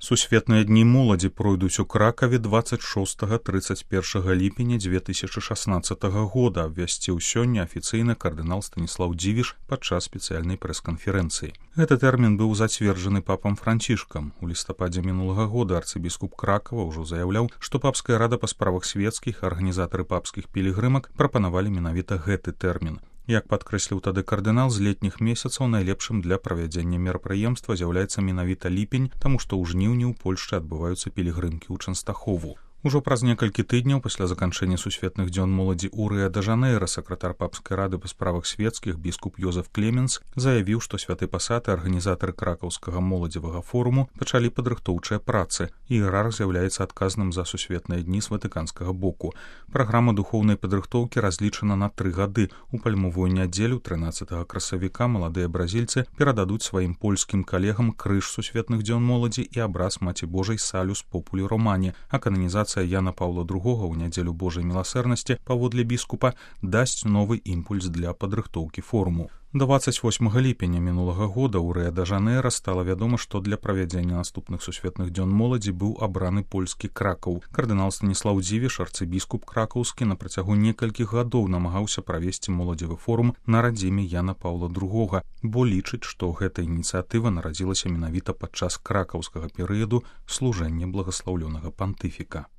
Сусветныя дні моладзі пройдуць у Кракаве 26-31 ліпеня 2016 года, абвясціў сёння афіцыйна кардынал Станіслаў Дзівіш падчас спецыяльнай прэс-канферэнцыі. Гэты тэрмін быў зацверджаны папам Францішкам. У лістападзе мінулага года арцыбіскуп Кракава ўжо заяўляў, што папская рада па справах свецкіх, арганізатары папскіх пілігрымак прапанавалі менавіта гэты тэрмін. Як падкрэсліў тады кардынал, з летніх месяцаў найлепшым для правядзення мерапрыемства з'яўляецца менавіта ліпень, таму што ў жніўні ў Польшчы адбываюцца пілігрымкі ў Чэнстахову. Ужо праз некалькі тыдняў пасля заканчэння сусветных дзён моладзі ў Рыа-дэ-Жанэйра сакратар папскай рады па справах свецкіх біскуп Йозеф Клеменс заявіў, што святы пасад і арганізатары кракаўскага моладзевага форуму пачалі падрыхтоўчыя працы. Іерарх з'яўляецца адказным за сусветныя дні з ватыканскага боку. Праграма духоўнай падрыхтоўкі разлічана на 3 гады. У пальмовую нядзелю 13 красавіка маладыя бразільцы перададуць сваім польскім калегам крыж сусветных дзён моладзі і абраз Маці Божай Салюс Популі Романі, а кананізацыя Яна Паўла II ў нядзелю Божай міласэрнасці паводле біскупа дасць новы імпульс для падрыхтоўкі форуму. 28 ліпеня мінулага года ў Рыа-дэ-Жанэйра стала вядома, што для правядзення наступных сусветных дзён моладзі быў абраны польскі Кракаў. Кардынал Станіслаў Дзівіш, арцыбіскуп кракаўскі, на працягу некалькіх гадоў намагаўся правесці моладзевы форум на радзіме Яна Паўла II, бо лічыць, што гэта ініцыятыва нарадзілася менавіта падчас кракаўскага перыяду служэння благаслаўлёнага пантыфіка.